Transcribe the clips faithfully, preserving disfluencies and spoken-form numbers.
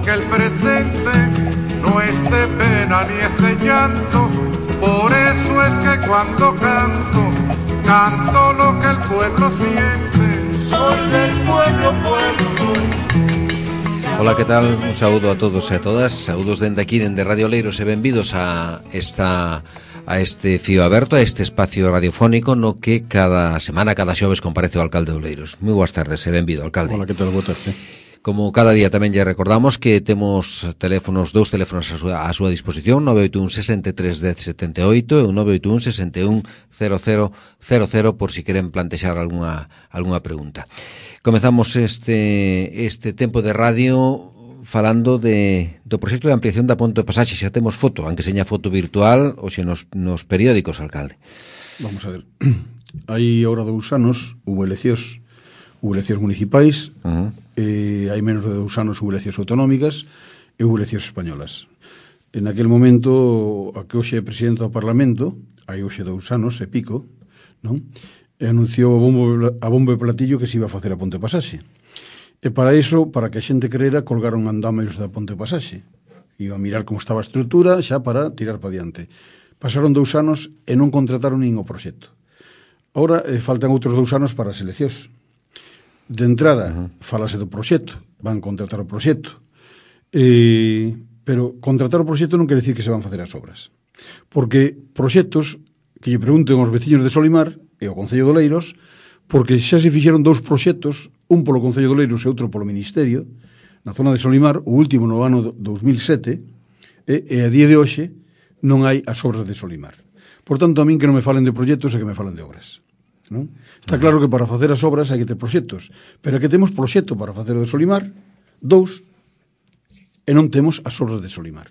que el presente no es de pena ni es de llanto. Por eso es que cuando canto, canto lo que el pueblo siente. Soy del pueblo, pueblo soy. Ola, que tal? Un saúdo a todos e a todas. Saúdos dende aquí, dende Radio Oleiros, e benvidos a esta a este fío aberto, a este espacio radiofónico no que cada semana, cada xoves comparece o alcalde de Oleiros. Moi boas tardes e benvido, alcalde. Ola, que tal? Boa tarde. Como cada día tamén lle recordamos que temos teléfonos, dous teléfonos a súa, a súa disposición, nove oito un, sesenta e tres, dez, setenta e oito e o nove oito un, sesenta e un, cero cero cero cero por si queren plantexar algunha, algunha pregunta. Comezamos este, este tempo de radio falando de, do proxecto de ampliación da ponte de pasaxe. Xa temos foto, aunque seña foto virtual, hoxe nos, nos periódicos, alcalde. Vamos a ver. Hai ahora dous anos, hubo eleccións, hubo eleccións municipais, uh-huh. eh, hai menos de dous anos hubo eleccións autonómicas e hubo eleccións españolas. En aquel momento, a que hoxe é presidente do Parlamento, hai hoxe dous anos e pico, non? E anunciou a bombo, a bombo e platillo que se iba a facer a ponte de pasaxe. E para iso, para que a xente creera, colgaron andámeos da ponte de pasaxe. Iba a mirar como estaba a estrutura xa para tirar para diante. Pasaron dous anos e non contrataron nin o proxecto. Ahora eh, faltan outros dous anos para as eleccións. De entrada, uh-huh. falase do proxecto, van contratar o proxecto. Eh, pero contratar o proxecto non quere dicir que se van facer as obras. Porque proxectos que lle pregunten aos veciños de Solimar e ao Concello de Oleiros, porque xa se fixeron dous proxectos, un polo Concello de Oleiros e outro polo Ministerio, na zona de Solimar, o último no ano dous mil sete, e, e a día de hoxe non hai as obras de Solimar. Por tanto, a min que non me falen de proxectos e que me falen de obras. Non? Está claro que para facer as obras hai que ter proxectos, pero que temos proxecto para facer o de Solimar, dous, e non temos as obras de Solimar,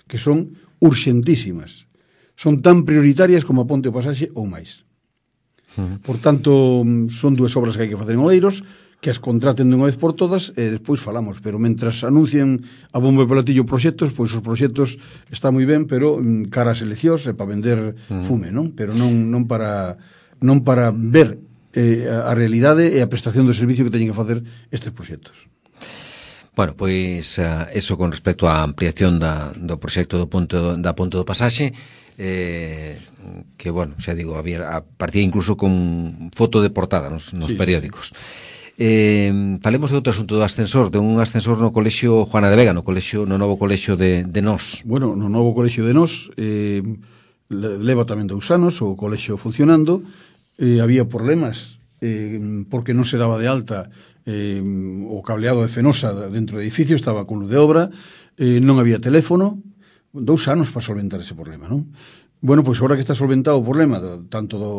que son urxentísimas. Son tan prioritarias como a ponte o pasaxe ou máis. Por tanto, son dúas obras que hai que facer en Oleiros, que as contraten de unha vez por todas e despois falamos, pero mentras anuncien a bombo e platillo proxectos, pois os proxectos está moi ben, pero cara ás eleccións é para vender fume, non? Pero non non para non para ver eh, a realidade e a prestación do servicio que teñen que facer estes proxectos. Bueno, pois uh, eso con respecto á ampliación da, do proxecto do ponto, da ponte do pasaxe, eh, que, bueno, xa digo, había, a partía incluso con foto de portada nos, nos sí, periódicos. Eh, falemos de outro asunto do ascensor, de un ascensor no colexio Juana de Vega, no colexio, no novo colexio de, de Nós. Bueno, no novo colexio de Nós, eh, leva tamén dous anos o colexio funcionando, eh, había problemas eh, porque non se daba de alta eh, o cableado de Fenosa dentro do edificio, estaba con luz de obra, eh, non había teléfono, dous anos para solventar ese problema, non? Bueno, pois agora que está solventado o problema do, tanto do,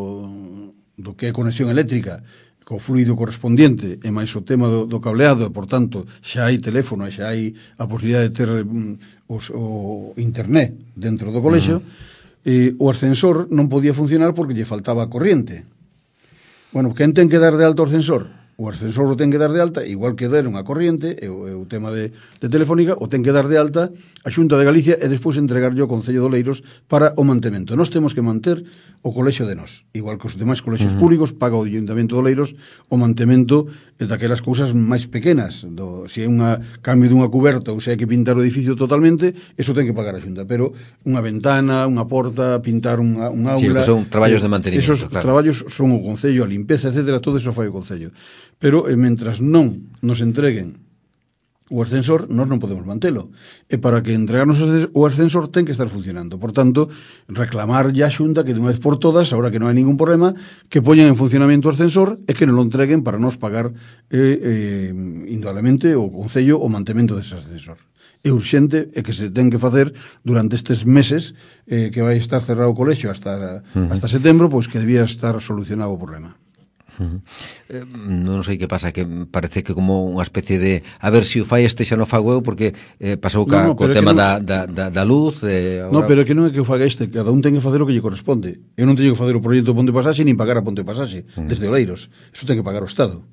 do que é conexión eléctrica co fluido correspondiente e máis o tema do, do cableado, e por tanto xa hai teléfono e xa hai a posibilidade de ter um, os, o internet dentro do colexio, uh-huh. eh, o ascensor non podía funcionar porque lle faltaba corriente. Bueno, quen ten que dar de alta o ascensor? O ascensor o ten que dar de alta, igual que deron a corriente, e o, e o tema de, de Telefónica, o ten que dar de alta a Xunta de Galicia e despois entregarlle ao Concello de Oleiros para o mantemento. Nós temos que manter o colexio de Nós, igual que os demais colexios uh-huh. públicos, paga o Ayuntamento de Oleiros o mantemento daquelas cousas máis pequenas. Do, se é un cambio dunha cuberta ou se hai que pintar o edificio totalmente, eso ten que pagar a Xunta. Pero unha ventana, unha porta, pintar unha, un aula... Sí, que son traballos de mantenimento, esos claro. traballos son o Concello, a limpeza, etcétera, todo eso fai o Concello. Pero, eh, mentras non nos entreguen o ascensor, nós non podemos mantelo. E para que entregarnos o ascensor ten que estar funcionando. Por tanto, reclamar ya a Xunta que de unha vez por todas, ahora que non hai ningún problema, que poñan en funcionamento o ascensor e que non lo entreguen para nos pagar eh, eh, indudablemente o Concello o mantemento dese ascensor. É urxente e que se ten que facer durante estes meses eh, que vai estar cerrado o colexio hasta, uh-huh. hasta setembro, pois que debía estar solucionado o problema. Uh-huh. Eh, non sei que pasa, que parece que como unha especie de a ver se si o fai este xa non fago eu, porque eh, pasou ca, no, no, co tema non... da, da, da luz eh, ahora... No, pero que non é que o faga este, cada un ten que facer o que lle corresponde. Eu non teño que facer o proxecto de Ponte Pasaxe nin pagar a Ponte Pasaxe uh-huh. desde Oleiros, eso ten que pagar o Estado,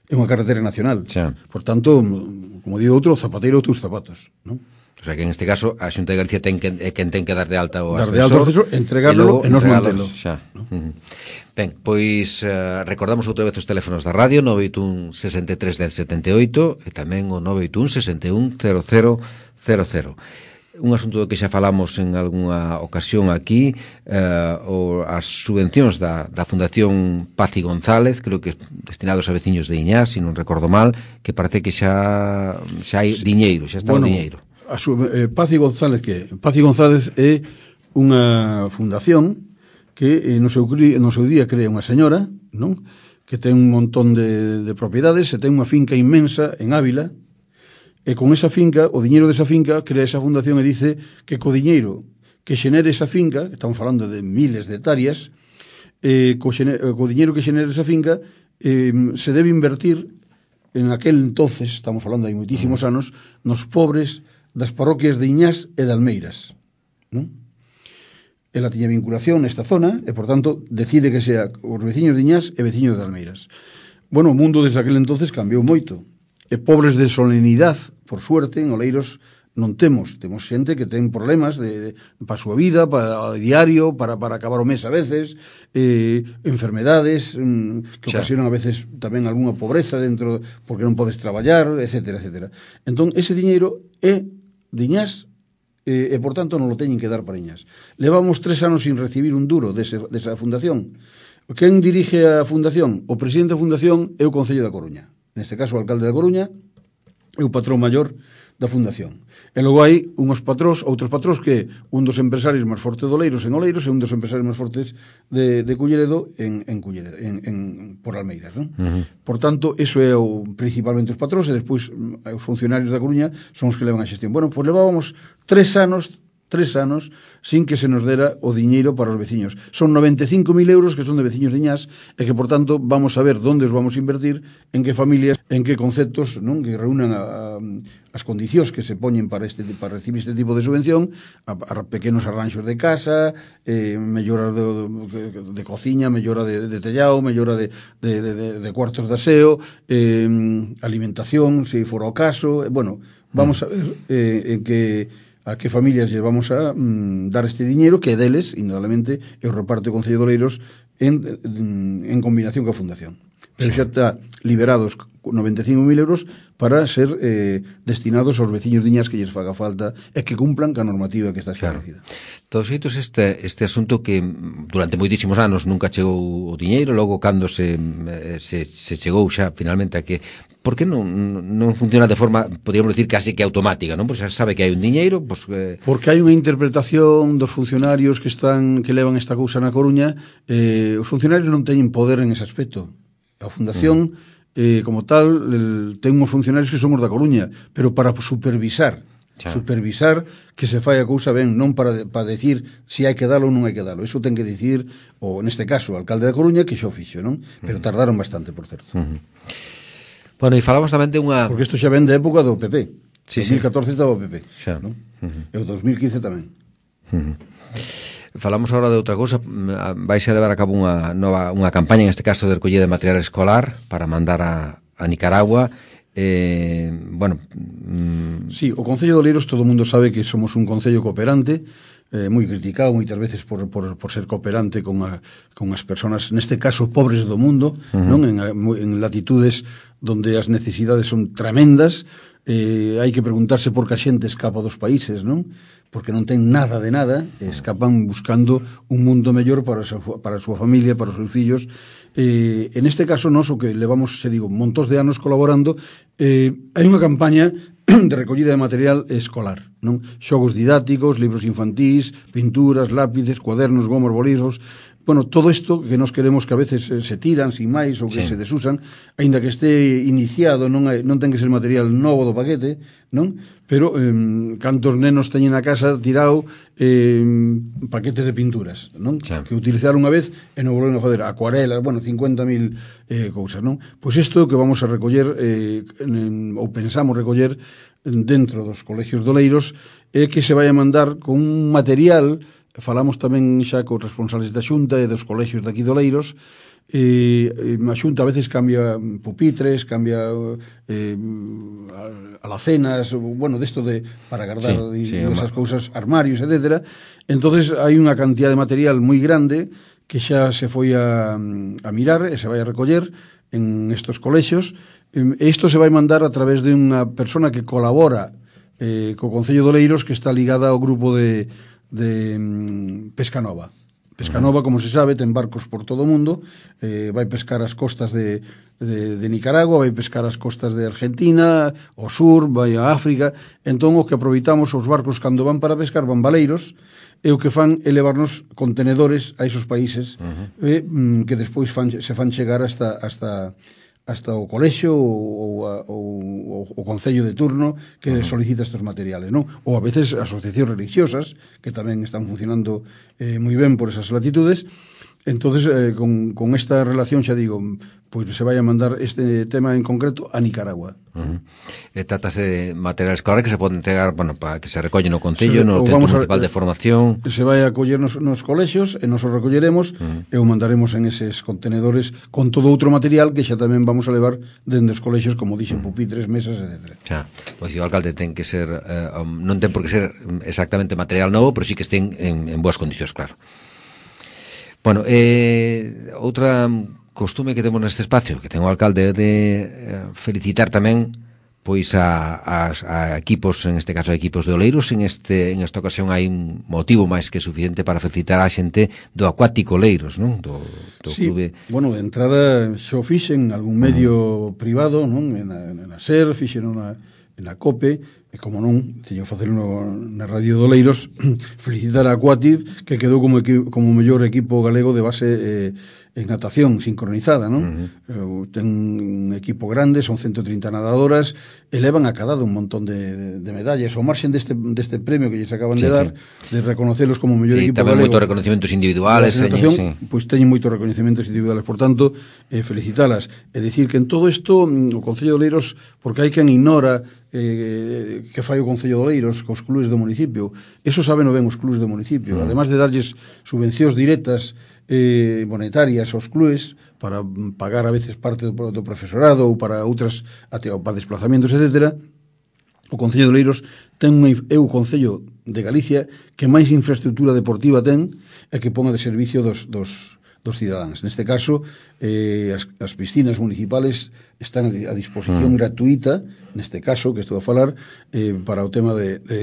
é unha carretera nacional. Xa. Por tanto, como digo outro, zapateiro ou teus zapatos, non? O sea que en este caso a Xunta de Galicia ten que, é quen ten que dar de alta o dar de alta o ascensor, entregarlo e nos mantelo. Xa. ¿No? Uh-huh. Ben, pois uh, recordamos outra vez os teléfonos da radio nove oito un, sesenta e tres, dez, setenta e oito e tamén o nove oito un, sesenta e un, cero cero cero cero. Un asunto do que xa falamos en algunha ocasión aquí, eh, o, as subvencións da, da Fundación Paz y González, creo que destinados a veciños de Iñás, se non recordo mal, que parece que xa xa hai diñeiro, xa está bueno, o diñeiro. A su, eh, Paz y González, que Paz y González é unha fundación que eh, no, seu, no seu día crea unha señora, non? Que ten un montón de, de propiedades, e ten unha finca inmensa en Ávila. E con esa finca, o diñeiro desa finca, crea esa fundación e dice que co diñeiro que xenere esa finca, estamos falando de miles de hectáreas, eh, co, xene, co diñeiro que xenere esa finca, eh, se debe invertir en aquel entonces, estamos falando hai moitísimos anos, nos pobres das parroquias de Iñás e de Almeiras. Non? Ela tiña vinculación nesta zona e, por tanto, decide que sea os veciños de Iñás e veciños de Almeiras. Bueno, o mundo desde aquel entonces cambiou moito. E pobres de solenidade, por suerte, en Oleiros non temos. Temos xente que ten problemas de, de, para a súa vida, para o diario, para, para acabar o mes a veces, eh, enfermedades mm, que ocasionan a veces tamén algunha pobreza dentro, porque non podes traballar, etcétera, etcétera. Entón, ese diñeiro é de Iñás eh, e, por tanto, non lo teñen que dar para Iñás. Levamos tres anos sin recibir un duro dese, desa fundación. Quen dirige a fundación? O presidente da fundación é o Concello da Coruña. Neste caso o alcalde da Coruña é o patrón maior da fundación. E logo hai uns patrós, outros patrós que un dos empresarios máis fortes de Oleiros en Oleiros e un dos empresarios máis fortes de, de Culleredo en, en Culleredo, en, en, por Almeiras, non? Uh-huh. Por tanto, eso é o, principalmente os patrós e despois os funcionarios da Coruña son os que levan a xestión. Bueno, pois levábamos tres anos tres anos sin que se nos dera o diñeiro para os veciños. Son noventa e cinco mil euros que son de veciños de Iñás e que, por tanto, vamos a ver onde os vamos a invertir, en que familias, en que conceptos, non, que reúnan a, a, as condicións que se poñen para este para recibir este tipo de subvención, a, a pequenos arranxos de casa, eh, mellora de, de, de cociña, mellora de, de tellao, mellora de, de, de, de cuartos de aseo, eh, alimentación, se fora o caso, eh, bueno, vamos a ver eh, en que a que familias lle vamos a mm, dar este diñeiro que é deles, indudablemente, e o reparte o Concello de Oleiros en, en, en combinación coa Fundación. Pero sí, xa está liberados noventa e cinco mil euros para ser eh, destinados aos veciños de Iñás que lles faga falta e que cumplan ca normativa que está establecida. Claro. Todos xeitos, este, este asunto que durante moitísimos anos nunca chegou o diñeiro, logo cando se, se, se chegou xa finalmente a que por que non, non funciona de forma, podríamos decir, casi que automática, non? Pois xa sabe que hai un diñeiro, pois... Eh... Porque hai unha interpretación dos funcionarios que están que levan esta cousa na Coruña, eh, os funcionarios non teñen poder en ese aspecto. A Fundación, uh-huh. eh, como tal, el, ten uns funcionarios que son os da Coruña, pero para supervisar, Chá. supervisar que se fai a cousa ben, non para, para decir se si hai que dalo ou non hai que dalo. Iso ten que dicir, ou neste caso, o alcalde da Coruña, que xo fixo, non? Pero uh-huh. tardaron bastante, por certo. Uh-huh. Bueno, e falamos tamén de unha... Porque isto xa ven de época do P P. Sí, dos mil catorce sí. Estaba o P P. Xa. ¿No? Uh-huh. E o dos mil quince tamén. Uh-huh. Falamos agora de outra cousa. Vais a levar a cabo unha nova unha campaña, en este caso de recollida de material escolar, para mandar a, a Nicaragua. Eh, bueno... Mm... Sí, o Concello de Oleiros, todo o mundo sabe que somos un concello cooperante, eh, moi criticado moitas veces por, por, por ser cooperante con, a, con as persoas, neste caso, pobres do mundo, uh-huh. non en, en latitudes donde as necesidades son tremendas. Eh, hai que preguntarse por que a xente escapa dos países, non? Porque non ten nada de nada, escapan buscando un mundo mellor para a súa, para a súa familia, para os seus fillos. Eh, en este caso, nós, o que levamos, se digo, montos de anos colaborando, eh, hai unha campaña de recollida de material escolar, non? Xogos didácticos, libros infantís, pinturas, lápices, cuadernos, gomos, bolígrafos. Bueno, todo isto que nos queremos que a veces se tiran sin máis ou que sí. se desusan, aínda que este iniciado, non, hai, non ten que ser material novo do paquete, non? Pero eh, cantos nenos teñen na casa tirado eh, paquetes de pinturas, non? Sí. Que utilizaron unha vez e non volveron a fazer acuarelas, bueno, cincuenta mil eh, cousas, non? Pois isto que vamos a recoller eh, en, ou pensamos recoller dentro dos colegios de Oleiros é que se vai a mandar con un material falamos tamén xa cos responsables da Xunta e dos colexios de aquí de Oleiros, e, e a Xunta a veces cambia pupitres, cambia eh, alacenas, bueno, desto de para guardar sí, sí, esas cousas, armarios, etcétera. Entonces hai unha cantidad de material moi grande que xa se foi a, a mirar e se vai a recoller en estos colexios. E isto se vai mandar a través de unha persona que colabora eh, co Concello de Oleiros, que está ligada ao grupo de de um, Pesca Nova. Pesca Nova, como se sabe, ten barcos por todo o mundo, eh, vai pescar as costas de, de, de Nicaragua, vai pescar as costas de Argentina, o sur, vai a África. Entón, o que aproveitamos, os barcos cando van para pescar, van baleiros, e o que fan é levarnos contenedores a esos países, uh-huh. eh, que despois fan, se fan chegar hasta... hasta hasta o colexio ou, ou, ou o concello de turno que uh-huh. solicita estos materiales, non? Ou a veces asociacións religiosas que tamén están funcionando eh, moi ben por esas latitudes. Entonces, eh, con, con esta relación, xa digo, pois se vai a mandar este tema en concreto a Nicaragua. Uh-huh. E trátase de materiales claro que se poden entregar, bueno, para que se recollen no Concello, se, no Centro Municipal de Formación. Se vai a coller nos, nos colexios e nos o recolleremos uh-huh. e o mandaremos en eses contenedores con todo outro material que xa tamén vamos a levar dende os colexios, como dixen, uh-huh. pupitres, mesas, etcétera. Xa, pois o alcalde ten que ser, eh, um, non ten por que ser exactamente material novo, pero sí que estén en, en boas condicións, claro. Bueno, eh, outra costume que temos neste espacio, que ten o alcalde de eh, felicitar tamén pois a, a, a equipos, en este caso a equipos de Oleiros. En este en esta ocasión hai un motivo máis que suficiente para felicitar a xente do Acuático Oleiros, non? Do, do sí, clube. Bueno, de entrada xo fixen algún medio uh-huh. privado, non? En a, en a SER, fixen na, en a COPE, e como non, teño que facelo na Radio de Oleiros, felicitar a Aquativ, que quedou como, como o mellor equipo galego de base eh, en natación sincronizada, non? Uh-huh. Ten un equipo grande, son ciento trinta nadadoras, elevan a cada un montón de, de medallas. O marxen deste, deste premio que lles acaban sí, de dar, sí. de reconocelos como o mellor sí, equipo galego. Sí, tamén moitos reconocimientos individuales. Natación, sí. Pois teñen moitos reconocimientos individuales, por tanto, eh, felicitalas. É dicir que en todo isto, o Concello de Oleiros, porque hai quen ignora eh, que fai o Concello de Oleiros cos clubes do municipio, eso saben o ben os clubes do municipio, uh-huh. además de darlles subvencións directas eh, monetarias aos clubes para pagar a veces parte do, do profesorado ou para outras até, para desplazamentos, etcétera. O Concello de Oleiros ten un, é o Concello de Galicia que máis infraestructura deportiva ten e que pon a de servicio dos, dos, dos cidadáns. Neste caso, eh, as, as piscinas municipales están a disposición mm. gratuita, neste caso, que estou a falar, eh, para o tema de... de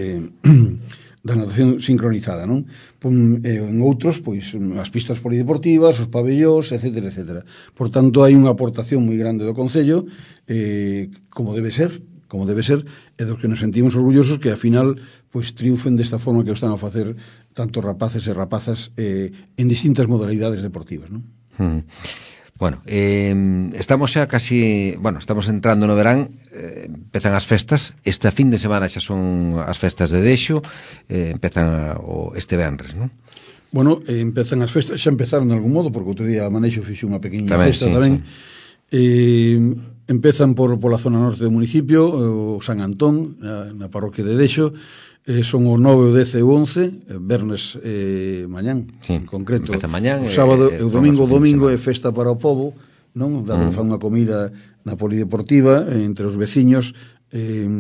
da natación sincronizada, non? Pum, eh, en outros, pois, as pistas polideportivas, os pabellós, etcétera, etcétera. Por tanto, hai unha aportación moi grande do Concello, eh, como debe ser, como debe ser, e dos que nos sentimos orgullosos que, ao final, pois, triunfen desta forma que o están a facer tanto rapaces e rapazas eh, en distintas modalidades deportivas, non? Hmm. Bueno, eh, estamos xa casi, bueno, estamos entrando no verán, eh, empezan as festas, esta fin de semana xa son as festas de Dexo, eh, empezan o, este venres, non? Bueno, eh, empezan as festas, xa empezaron de algún modo, porque outro día a Manexo fixe unha pequena tamén, festa sí, tamén. Sí. Eh, empezan por pola zona norte do municipio, o San Antón, na, na parroquia de Dexo, eh, son o nove, o dez e o once, vernes eh, mañán, sí, en concreto. Mañán, o sábado e o domingo, o domingo é festa para o povo, non? Dado mm. que fan unha comida na polideportiva entre os veciños, eh,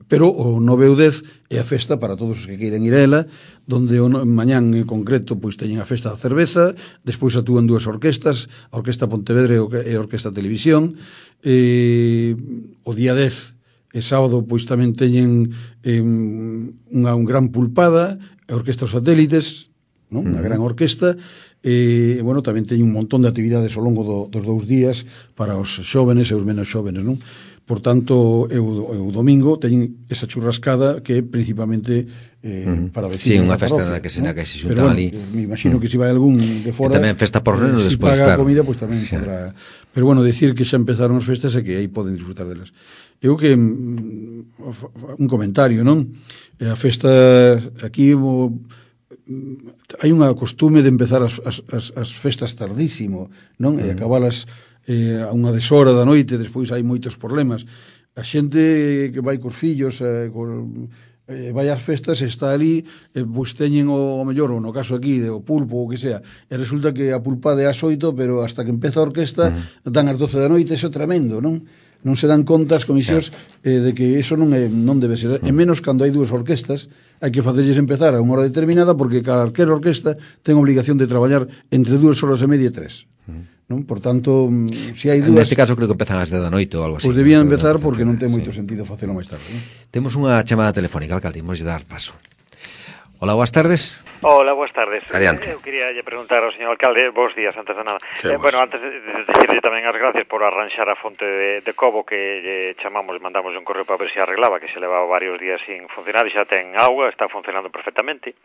pero o nove e o dez é a festa para todos os que queiran ir a ela, donde o mañán en concreto pois teñen a festa da cerveza, despois actúan dúas orquestas, a Orquesta Pontevedra e a Orquesta Televisión. Eh, o día dez e sábado pois tamén teñen eh, unha un gran pulpada, a Orquesta Satélites, non? Unha uh-huh. gran orquesta, e, bueno, tamén teñen un montón de actividades ao longo do, dos dous días para os xóvenes e os menos xóvenes, non? Por tanto, eu, eu domingo teñen esa churrascada que é principalmente eh, uh-huh. para vecinos. Sí, unha festa na que se, na que se xuntan bueno, ali. Me imagino uh-huh. que se vai algún de fora... E tamén festa por reno eh, despois, claro. Se paga claro. a comida, pois tamén sí. podrá... Pero, bueno, decir que xa empezaron as festas e que aí poden disfrutar delas. Eu que... Un comentario, non? A festa aquí... O, hai unha costume de empezar as, as, as festas tardísimo, non? Uh-huh. E acabalas eh, a unha deshora da noite, despois hai moitos problemas. A xente que vai cos fillos, eh, cos, eh, vai ás festas, está ali, eh, pois teñen o, o mellor, ou no caso aquí, de o pulpo, ou que sea, e resulta que a pulpada é ás oito, pero hasta que empeza a orquesta, uh-huh. dan ás doce da noite, eso é tremendo, non? Non se dan conta as comisións eh, de que eso non é, non debe ser, e menos cando hai dúas orquestas, hai que facerlles empezar a unha hora determinada, porque calquera orquesta ten obligación de traballar entre dúas horas e media e tres. Non? Por tanto, se hai dúas... Neste caso creo que empezan ás dez da noite ou algo así. Pois debían empezar porque non ten moito sí. sentido facelo máis tarde. Non? Temos unha chamada telefónica, alcalde, imos dar paso. Hola, boas tardes. Hola, boas tardes. Adiante. Eu quería lle preguntar ao señor alcalde, bons días, antes de nada. Eh, bueno, antes de decirle tamén as gracias por arranxar a fonte de, de Cobo que lle chamamos, mandamos un correo para ver se arreglaba, que se levaba varios días sin funcionar e xa ten auga, está funcionando perfectamente.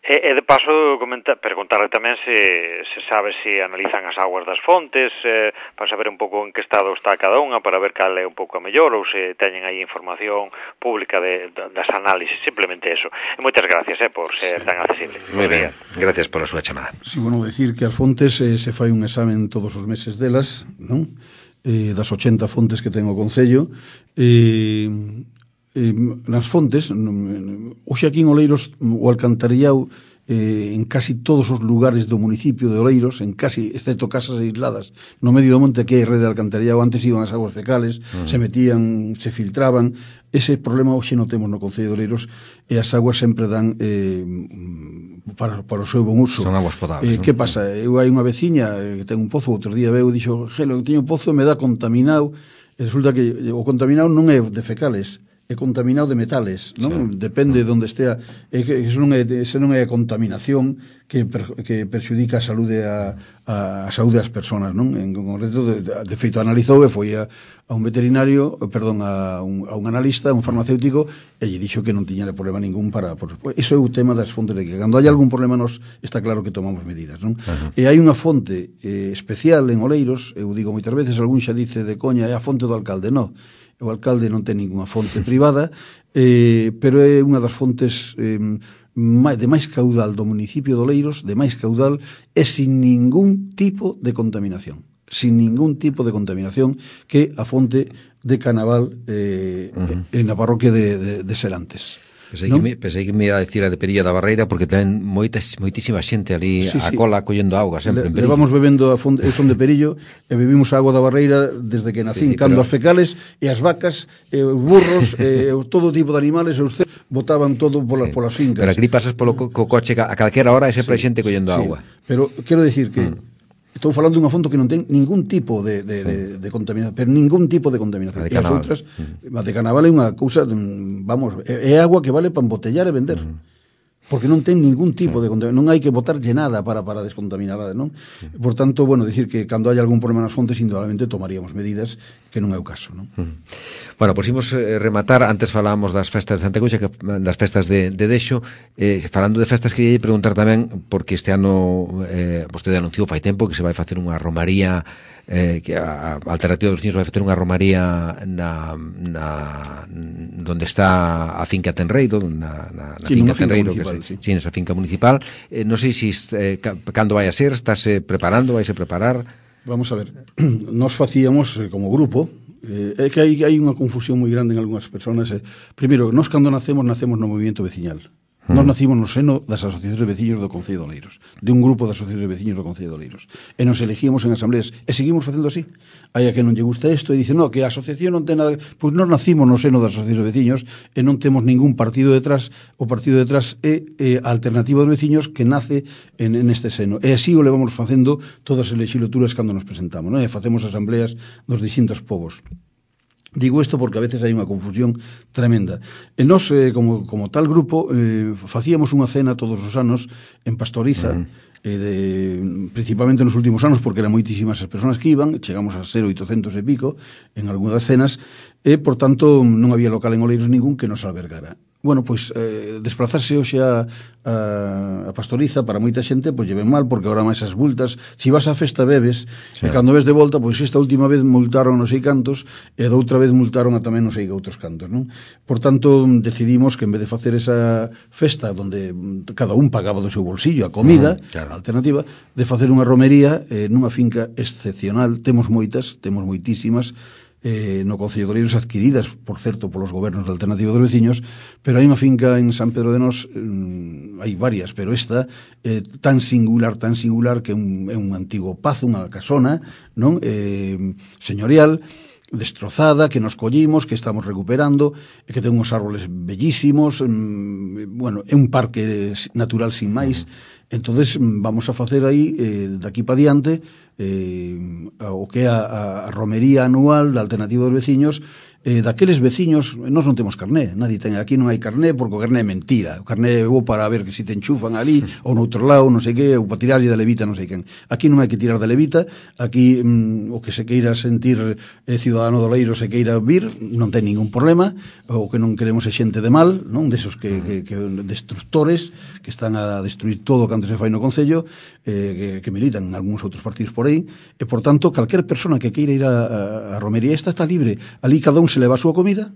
E, e de paso comentar, preguntarle tamén se, se sabe se analizan as aguas das fontes, eh, para saber un pouco en que estado está cada unha, para ver cal é un pouco a mellor, ou se teñen aí información pública de, de, das análisis, simplemente eso. E moitas gracias eh, por ser sí. tan accesible. Moi ben, gracias pola súa chamada. Sí, bueno, decir que as fontes eh, se fai un examen todos os meses delas, non? Eh, das ochenta fontes que ten o Concello, e... Eh, Eh, nas fontes, hoxe aquí en Oleiros o alcantarillado eh, en casi todos os lugares do municipio de Oleiros, en casi, excepto casas aisladas no medio do monte que hai rede de alcantarillado, antes iban as aguas fecales, uh-huh. se metían, se filtraban. Ese problema hoxe non temos no Concello de Oleiros, e as aguas sempre dan eh, para, para o seu bon uso. Son aguas potables. Eh, que pasa? Eu hai unha veciña que ten un pozo, outro día veu e dixo, gelo, eu teño un pozo e me dá contaminado, e resulta que o contaminado non é de fecales, é contaminado de metales, non? Sí. Depende de onde estea, é que eso non é, eso non é contaminación que, per, que perxudica a saúde a, a, a saúde das persoas, non? En concreto, de, de feito analizou e foi a, a un veterinario, perdón, a un, a un analista, un farmacéutico, e lle dixo que non tiña problema ningún para... Por, eso é o tema das fontes de que cando hai algún problema nos está claro que tomamos medidas, non? Uh-huh. E hai unha fonte eh, especial en Oleiros, eu digo moitas veces, algún xa dice de coña, é a fonte do alcalde, non. O alcalde non ten ninguna fonte privada, eh, pero é unha das fontes eh, de máis caudal do municipio de Oleiros, de máis caudal, e sin ningún tipo de contaminación. Sin ningún tipo de contaminación, que a fonte de Canaval eh, uh-huh. en a parroquia de, de, de Serantes. Pensei que, me, pensei que me ia a decir a de Perilla da Barreira, porque ten moitas, moitísima xente ali sí, a sí. cola collendo auga sempre. Le, levamos bebendo a fonte, eu son de Perillo, e bebimos a agua da Barreira desde que nacín, sí, sí, cando pero... as fecales e as vacas e os burros e todo tipo de animales e os cerdos botaban todo polas, sí. polas fincas. Pero aquí pasas polo co, co coche a calquera hora e sempre sí, hai xente collendo sí. auga. Pero quero decir que mm. estou falando dunha fonte que non ten ningún tipo de, de, sí. de, de contaminación, pero ningún tipo de contaminación. A de e as outras, mm. a de Canaval é unha cousa, vamos, é, é agua que vale para embotellar e vender. Mm. Porque non ten ningún tipo sí. de contaminación, non hai que botarlle nada para, para descontaminarla, non? Sí. Por tanto, bueno, decir que cando hai algún problema nas fontes, indudablemente tomaríamos medidas, que non é o caso, non? Mm. Bueno, pois imos eh, rematar, antes falábamos das festas de Santa Cuxa, que, das festas de, de Dexo, eh, falando de festas, queria preguntar tamén, porque este ano, eh, vostede anunciou fai tempo que se vai facer unha romaría, eh, que a, a Alternativa dos Veciños vai facer unha romaría na, na donde está a finca Tenreiro, na, na, na sí, finca Tenreiro, que se, sí. sí, nesa finca municipal. Eh, non sei se eh, cando vai a ser, estáse preparando, vai se preparar? Vamos a ver, nos facíamos eh, como grupo, eh, é que hai, hai unha confusión moi grande en algunhas persoas. Eh. Primeiro, nos cando nacemos, nacemos no movimento veciñal. Nos nacimos no seno das asociacións de veciños do Concello de Oleiros, de un grupo de asociacións de veciños do Concello de Oleiros, e nos elegíamos en asambleas, e seguimos facendo así. Hai a que non lle gusta isto e dice, no, que a asociación non ten nada... Pois nos nacimos no seno das asociacións de veciños e non temos ningún partido detrás. O partido detrás é, é a Alternativa dos Veciños, que nace en, en este seno. E así o levamos facendo todas as legislaturas cando nos presentamos, non? E facemos asambleas dos distintos povos. Digo isto porque a veces hai unha confusión tremenda. E nós, eh, como, como tal grupo, eh, facíamos unha cena todos os anos en Pastoriza, mm. eh, de, principalmente nos últimos anos, porque eran moitísimas as persoas que iban, chegamos a ser oitocentos e pico en algunhas cenas, e, por tanto, non había local en Oleiros ningún que nos albergara. Bueno, pois, eh, desplazarse hoxe a, a, a Pastoriza para moita xente, pois lleven mal, porque agora máis as multas, se vas á festa bebes, sí. E cando ves de volta, pois esta última vez multaron non sei cantos, e doutra vez multaron a tamén non sei que outros cantos, non? Por tanto, decidimos que en vez de facer esa festa donde cada un pagaba do seu bolsillo a comida, uh-huh, claro. A alternativa, de facer unha romería eh, nunha finca excepcional, temos moitas, temos moitísimas, eh, no Concello de Oleiros, adquiridas, por certo, polos gobernos da Alternativa dos Veciños, pero hai unha finca en San Pedro de Nós, eh, hai varias, pero esta é eh, tan singular, tan singular, que é un, é un antigo pazo, unha casona, non? Eh, señorial, destrozada, que nos collimos, que estamos recuperando, e que ten uns árboles bellísimos, mm, bueno, é un parque natural sin máis. Entonces vamos a facer aí, eh, daqui para diante, eh, o que é a, a romería anual da Alternativa dos Veciños, eh, daqueles veciños. Nós non temos carné, nadie ten, aquí non hai carné, porque o carné é mentira, o carné é bo para ver que se te enchufan ali, ou no outro lado, non sei que, ou para tirarlle da levita, non sei quen. Aquí non hai que tirar da levita, aquí mm, o que se queira sentir eh, cidadano do Leiro, se queira vir, non ten ningún problema, o que non queremos é xente de mal, non, desos que, que, que destructores, que están a destruir todo o que antes se fai no Concello, eh, que, que militan en algúns outros partidos por aí, e por tanto, calquer persona que queira ir a, a, a romería esta está libre, ali cada un se leva a súa comida,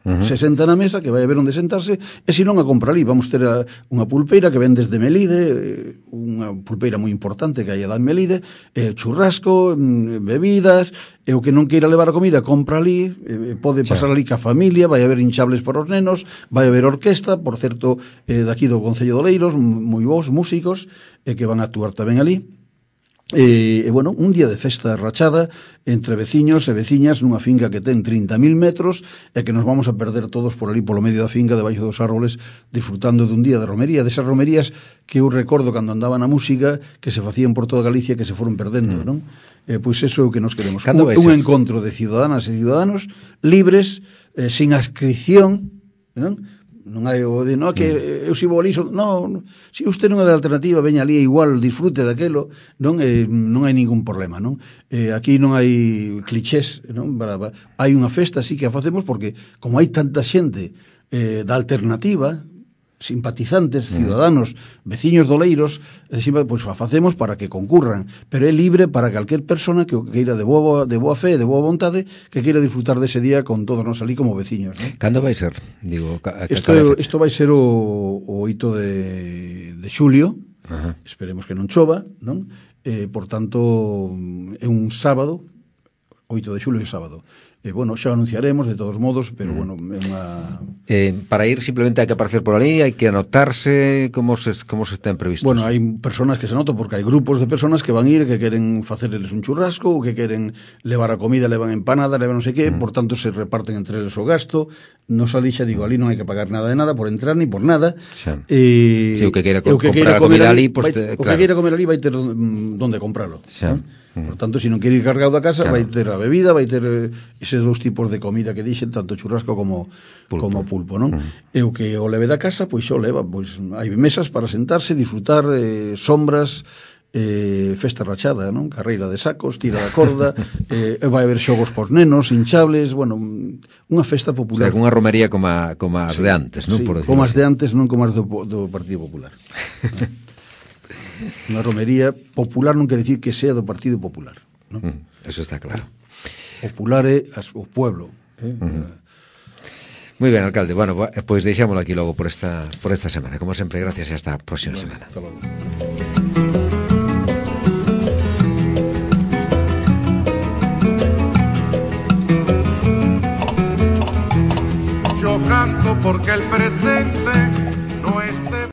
uh-huh. se senta na mesa, que vai a ver onde sentarse, e se non a compra ali. Vamos ter a, unha pulpeira que ven desde Melide, unha pulpeira moi importante que hai lá en Melide, eh, churrasco, bebidas, e o que non queira levar a comida, compra ali, eh, pode pasar ali ca familia, vai haber hinchables para os nenos, vai haber orquesta, por certo, eh, daqui do Concello de Oleiros, moi bons músicos, eh, que van a actuar tamén ali. E, e, bueno, un día de festa rachada entre veciños e veciñas nunha finca que ten trinta mil metros e que nos vamos a perder todos por ali polo medio da finca, debaixo dos árboles, disfrutando dun día de romería, desas romerías que eu recordo cando andaba na música, que se facían por toda Galicia, que se foron perdendo, mm. non? Eh, pois eso é o que nos queremos, un, un encontro de ciudadanas e ciudadanos libres, eh, sin adscripción, non? Non hai o de, no, que eu sigo ali, non, se usted non é de Alternativa, veña ali igual, disfrute daquelo, non, eh, non hai ningún problema, non? Eh, aquí non hai clichés, non? Para, para, hai unha festa, sí que a facemos, porque como hai tanta xente eh, da Alternativa, simpatizantes, ciudadanos, veciños doleiros, pois pues, a facemos para que concurran, pero é libre para calquer persona que o queira de boa, de boa fe, de boa vontade, que queira disfrutar dese día con todos nós ali como veciños, ¿no? Cando vai ser? Digo, a, a isto, isto vai ser o, o oito de, de xulio, uh-huh. Esperemos que non chova, non? Eh, por tanto, é un sábado, oito de xulio é sábado. Eh, bueno, xa anunciaremos de todos modos, pero bueno, é unha... Eh, para ir simplemente hai que aparecer por ali, hai que anotarse, como se, como se ten previsto? Bueno, hai personas que se anotan, porque hai grupos de personas que van ir, que queren facerles un churrasco, ou que queren levar a comida, levan empanada, levan non sei que, mm. por tanto se reparten entre eles o gasto, non ali xa digo, ali non hai que pagar nada de nada por entrar, ni por nada. Xa. Eh, si o que queira co- que comprar a comida ali, pues, vai, te, o claro. que queira comer ali vai ter donde compralo. Xa. ¿no? Por tanto, se non quere ir cargado da casa, claro. vai ter a bebida, vai ter eses dous tipos de comida que dixen, tanto churrasco como pulpo, como pulpo, non? Mm. E o que o leve da casa, pois xo leva, pois hai mesas para sentarse, disfrutar, eh, sombras, eh, festa rachada, non? Carreira de sacos, tira da corda, eh, vai haber xogos pos nenos, hinchables, bueno, unha festa popular. O sea, unha romería como, a, como as sí, de antes, non? Sí, por como as de antes, non como as do, do Partido Popular. Unha romería popular non quere dicir que sea do Partido Popular, non? Mm, eso está claro. Popular é as, o pueblo, eh? Uh-huh. Moi ben, alcalde. Bueno, pois pues deixámoslo aquí logo por esta por esta semana. Como sempre, gracias e hasta a próxima vale, semana. Hasta logo. Yo canto porque el presente